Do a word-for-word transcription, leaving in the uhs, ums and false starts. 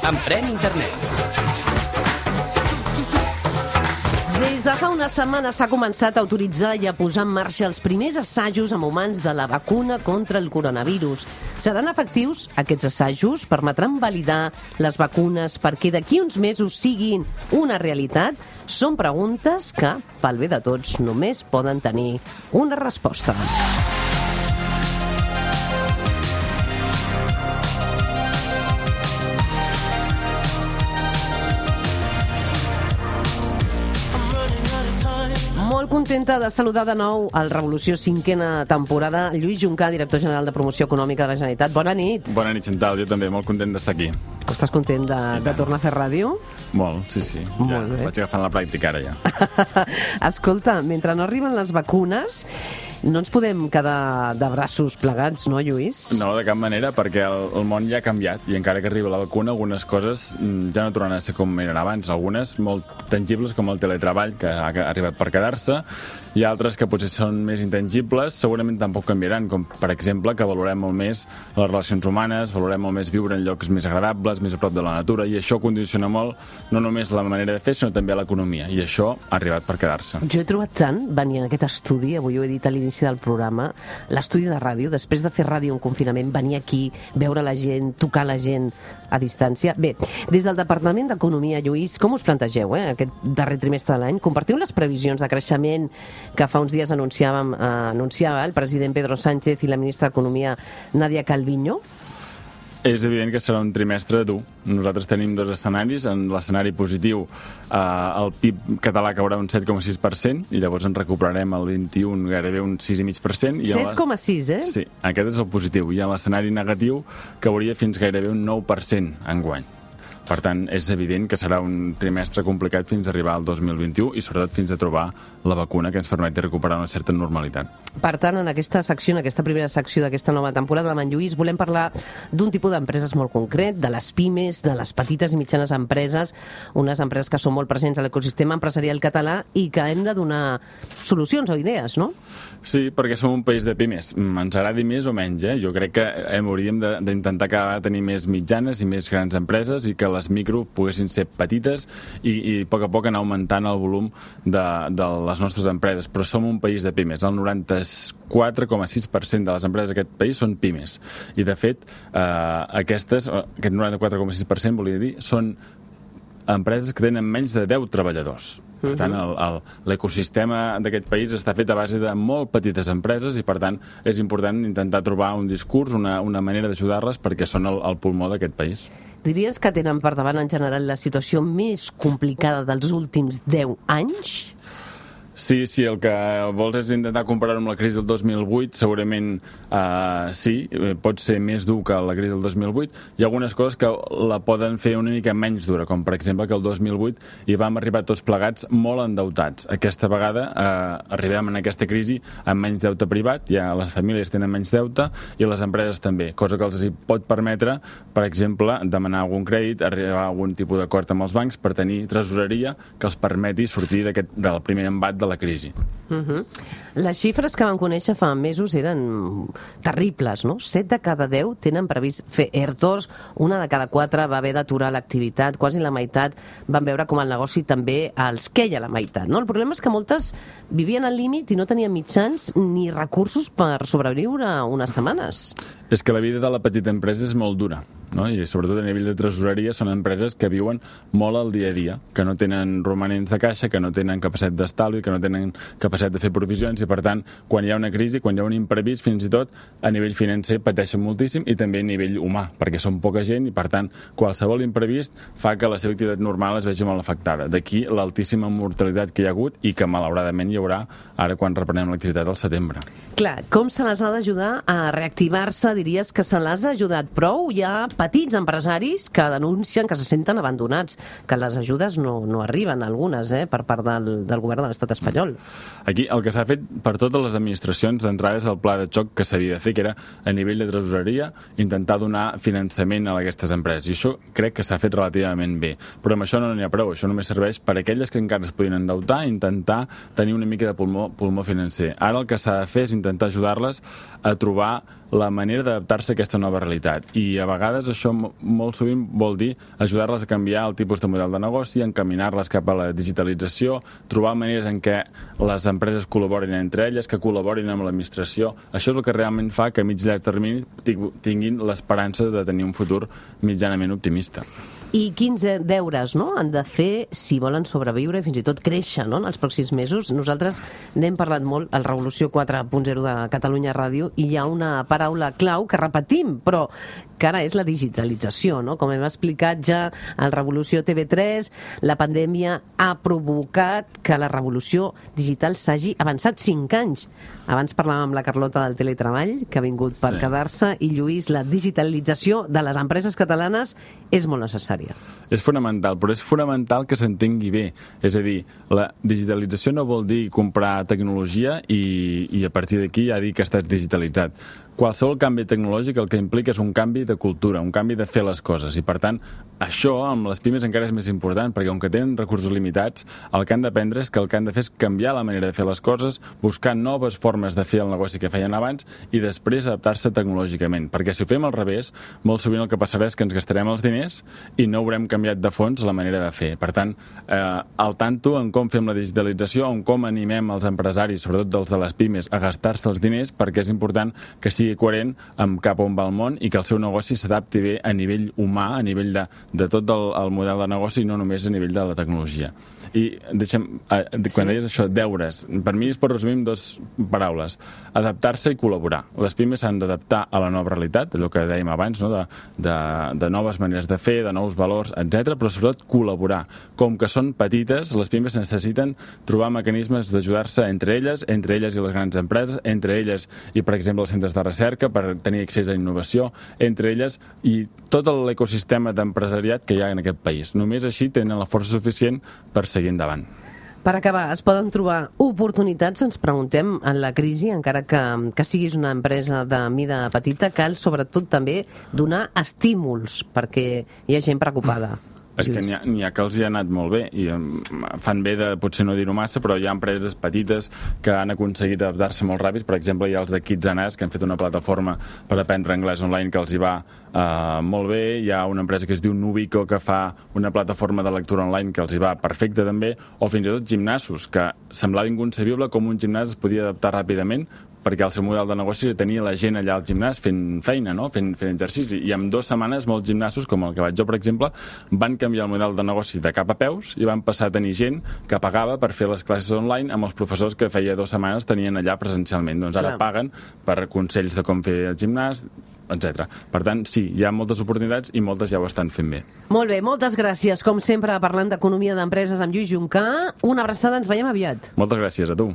Emprèn Internet. Des de fa una setmana s'ha començat a autoritzar i a posar en marxa els primers assajos amb humans de la vacuna contra el coronavirus. Seran efectius aquests assajos? Permetran validar les vacunes perquè d'aquí uns mesos siguin una realitat? Són preguntes que, pel bé de tots, només poden tenir una resposta. Molt contenta de saludar de nou al Revolució cinquena temporada Lluís Juncà, director general de Promoció Econòmica de la Generalitat. Bona nit. Bona nit, Chantal. Jo també, molt content d'estar aquí. Estàs content de, de tornar a fer ràdio? Molt, sí, sí. Ja Molt bé. Vaig agafant la pràctica ara ja. Escolta, mentre no arriben les vacunes, no ens podem quedar de braços plegats, no, Lluís? No, de cap manera, perquè el, el món ja ha canviat i encara que arriba la vacuna, algunes coses ja no tornaran a ser com eren abans. Algunes molt tangibles, com el teletreball, que ha arribat per quedar-se, i altres que potser són més intangibles, segurament tampoc canviaran, com per exemple que valorem molt més les relacions humanes, valorem molt més viure en llocs més agradables, més a prop de la natura, i això condiciona molt no només la manera de fer, sinó també l'economia, i això ha arribat per quedar-se. Jo he trobat tant, venir en aquest estudi, avui ho he dit a l'inici del programa, l'estudi de ràdio, després de fer ràdio en confinament, venir aquí, veure la gent, tocar la gent a distància. Bé, des del Departament d'Economia, Lluís, com us plantegeu, eh, aquest darrer trimestre de l'any? Compartiu les previsions de creixement que fa uns dies anunciàvem, eh, anunciava el president Pedro Sánchez i la ministra d'Economia, Nadia Calviño? És evident que serà un trimestre dur. Nosaltres tenim dos escenaris. En l'escenari positiu, eh, el P I B català caurà un set coma sis per cent i llavors en recuperarem el vint-i-un gairebé un sis coma cinc per cent. set coma sis, eh? Sí, aquest és el positiu. I en l'escenari negatiu cauria fins gairebé un nou per cent enguany. Per tant, és evident que serà un trimestre complicat fins a arribar al dos mil vint-i-u i sobretot fins a trobar la vacuna que ens permeti recuperar una certa normalitat. Per tant, en aquesta secció, en aquesta primera secció d'aquesta nova temporada amb en Lluís, volem parlar d'un tipus d'empreses molt concret, de les pimes, de les petites i mitjanes empreses, unes empreses que són molt presents a l'ecosistema empresarial català i que hem de donar solucions o idees, no? Sí, perquè som un país de pimes. Ens agradi més o menys, eh? Jo crec que hem, hauríem d'intentar cada vegada tenir més mitjanes i més grans empreses i que les micro poguessin ser petites i, i a poc a poc anar augmentant el volum de, de les nostres empreses. Però som un país de pimes. El noranta-quatre coma sis per cent de les empreses d'aquest país són pimes. I, de fet, eh, aquestes, aquest noranta-quatre coma sis per cent, volia dir, són empreses que tenen menys de deu treballadors. Per tant, l'ecosistema d'aquest país està fet a base de molt petites empreses i, per tant, és important intentar trobar un discurs, una, una manera d'ajudar-les perquè són el, el pulmó d'aquest país. Diries que tenen per davant en general la situació més complicada dels últims deu anys? Sí, sí, el que vols és intentar comparar amb la crisi del dos mil vuit, segurament eh, sí, pot ser més dur que la crisi del dos mil vuit. Hi ha algunes coses que la poden fer una mica menys dura, com per exemple que el dos mil vuit hi vam arribar tots plegats molt endeutats. Aquesta vegada eh, arribem en aquesta crisi amb menys deute privat, ja les famílies tenen menys deute i les empreses també, cosa que els pot permetre, per exemple, demanar algun crèdit, arribar a algun tipus d'acord amb els bancs per tenir tresoreria que els permeti sortir del primer embat de la crisi. Uh-huh. Les xifres que vam conèixer fa mesos eren terribles, no? set de cada deu tenen previst fer ERTOs, una de cada quatre va haver d'aturar l'activitat, quasi la meitat van veure com el negoci també els queia la meitat, no? El problema és que moltes vivien al límit i no tenien mitjans ni recursos per sobreviure unes setmanes. És que la vida de la petita empresa és molt dura, no? I sobretot a nivell de tresoreria són empreses que viuen molt al dia a dia, que no tenen romanents de caixa, que no tenen capacitat d'estalvi, que no tenen capacitat de fer provisions i, per tant, quan hi ha una crisi, quan hi ha un imprevist, fins i tot a nivell financer pateixen moltíssim i també a nivell humà, perquè són poca gent i, per tant, qualsevol imprevist fa que la seva activitat normal es vegi molt afectada. D'aquí l'altíssima mortalitat que hi ha hagut i que, malauradament, hi haurà ara quan reprenem l'activitat al setembre. Clar, com se les ha d'ajudar a reactivar-se? Diries que se les ha ajudat prou? Hi ha petits empresaris que denuncien que se senten abandonats, que les ajudes no, no arriben, algunes, eh, per part del, del govern de l'estat espanyol. Aquí el que s'ha fet per totes les administracions d'entrada és el pla de xoc que s'havia de fer, que era a nivell de tresoreria intentar donar finançament a aquestes empreses. I això crec que s'ha fet relativament bé. Però amb això no n'hi ha prou. Això només serveix per a aquelles que encara es podien endeutar i intentar tenir una mica de pulmó, pulmó financer. Ara el que s'ha de fer és intentar ajudar-les a trobar la manera d'adaptar-se a aquesta nova realitat. I a vegades això molt sovint vol dir ajudar-les a canviar el tipus de model de negoci, encaminar-les cap a la digitalització, trobar maneres en què les empreses col·laborin entre elles, que col·laborin amb l'administració. Això és el que realment fa que a mig i llarg termini tinguin l'esperança de tenir un futur mitjanament optimista. I quins deures, no?, han de fer si volen sobreviure i fins i tot créixer, no?, en els pròxims mesos. Nosaltres n'hem parlat molt al Revolució quatre punt zero de Catalunya Ràdio i hi ha una paraula clau que repetim, però que ara és la digitalització, no? Com hem explicat ja al Revolució T V tres, la pandèmia ha provocat que la revolució digital s'hagi avançat cinc anys. Abans parlàvem amb la Carlota del teletreball, que ha vingut per sí. quedar-se, i Lluís, la digitalització de les empreses catalanes és molt necessària. És fonamental, però és fonamental que s'entengui bé. És a dir, la digitalització no vol dir comprar tecnologia i, i a partir d'aquí ja dir que estàs digitalitzat. Qualsevol canvi tecnològic el que implica és un canvi de cultura, un canvi de fer les coses. I, per tant, això amb les pimes encara és més important, perquè com que tenen recursos limitats, el que han d'aprendre és que el que han de fer és canviar la manera de fer les coses, buscar noves formes de fer el negoci que feien abans i després adaptar-se tecnològicament. Perquè si ho fem al revés, molt sovint el que passarà és que ens gastarem els diners i no haurem canviat de fons la manera de fer. Per tant, eh, al tanto en com fem la digitalització, en com animem els empresaris, sobretot dels de les pimes, a gastar-se els diners, perquè és important que sigui coherent amb cap on va el món i que el seu negoci s'adapti bé a nivell humà, a nivell de, de tot el, el model de negoci i no només a nivell de la tecnologia. I deixem, eh, quan deies això, deures, per mi es pot resumir en dues paraules: adaptar-se i col·laborar. Les pimes s'han d'adaptar a la nova realitat, allò que dèiem abans, no? de, de, de noves maneres de fer, de nous valors, etcètera, però sobretot col·laborar. Com que són petites, les pimes necessiten trobar mecanismes d'ajudar-se entre elles, entre elles i les grans empreses, entre elles i, per exemple, els centres de recerca per tenir accés a innovació, entre elles i tot l'ecosistema d'empresariat que hi ha en aquest país. Només així tenen la força suficient per seguir endavant. Per acabar, es poden trobar oportunitats, ens preguntem, en la crisi, encara que, que siguis una empresa de mida petita, cal sobretot també donar estímuls, perquè hi ha gent preocupada. És que n'hi ha, n'hi ha que els hi ha anat molt bé i fan bé de potser no dir-ho massa, però hi ha empreses petites que han aconseguit adaptar-se molt ràpid. Per exemple, hi ha els de Kids and Us, que han fet una plataforma per aprendre anglès online que els hi va uh, molt bé. Hi ha una empresa que es diu Nubico, que fa una plataforma de lectura online que els hi va perfecte també, o fins i tot gimnasos, que semblava inconcebible com un gimnàs es podia adaptar ràpidament, perquè el seu model de negoci tenia la gent allà al gimnàs fent feina, no? fent, fent exercici. I en dues setmanes molts gimnasos, com el que vaig jo, per exemple, van canviar el model de negoci de cap a peus i van passar a tenir gent que pagava per fer les classes online amb els professors que feia dues setmanes tenien allà presencialment. Doncs ara Clar. paguen per consells de com fer el gimnàs, etcètera. Per tant, sí, hi ha moltes oportunitats i moltes ja ho estan fent bé. Molt bé, moltes gràcies. Com sempre, parlant d'economia d'empreses amb Lluís Juncà. Una abraçada, ens veiem aviat. Moltes gràcies a tu.